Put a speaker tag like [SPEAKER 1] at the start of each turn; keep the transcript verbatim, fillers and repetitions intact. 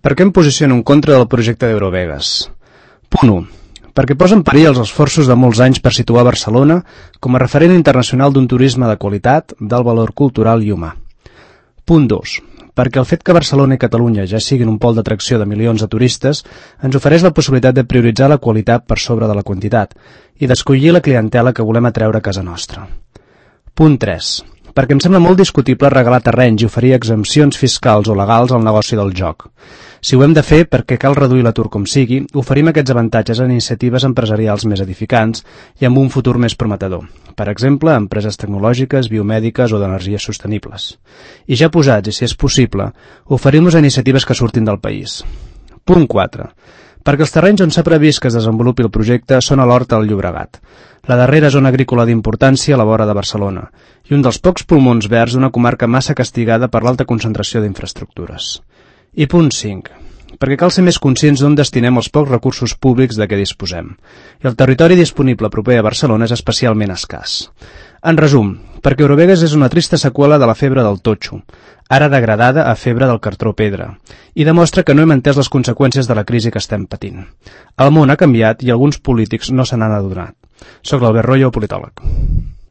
[SPEAKER 1] Per què em posiciono en contra del projecte d'Eurovegas? Punt u. Perquè posa en perill els esforços de molts anys per situar Barcelona com a referent internacional d'un turisme de qualitat, d'alt valor cultural i humà. Punt dos. Perquè el fet que Barcelona i Catalunya ja siguin un pol d'atracció de milions de turistes ens ofereix la possibilitat de prioritzar la qualitat per sobre de la quantitat i d'escollir la clientela que volem atreure a casa nostra. Punt tres. Perquè em sembla molt discutible regalar terrenys i oferir exempcions fiscals o legals al negoci del joc. Si ho hem de fer perquè cal reduir l'atur com sigui, oferim aquests avantatges a iniciatives empresarials més edificants i amb un futur més prometedor. Per exemple, empreses tecnològiques, biomèdiques o d'energies sostenibles. I ja posats, i si és possible, oferim-los a iniciatives que surtin del país. Punt quatre. Perquè els terrenys on s'ha previst que es desenvolupi el projecte són a l'Horta del Llobregat, la darrera zona agrícola d'importància a la vora de Barcelona, i un dels pocs pulmons verds d'una comarca massa castigada per l'alta concentració d'infraestructures. I punt cinc. Perquè cal ser més conscients d'on destinem els pocs recursos públics de què disposem, i el territori disponible proper a Barcelona és especialment escàs. En resum, perquè Eurovegas és una trista seqüela de la febre del totxo, ara degradada a febre del cartró pedra, i demostra que no hem entès les conseqüències de la crisi que estem patint. El món ha canviat i alguns polítics no se n'han adonat. Soc l'Albert Royo, politòleg.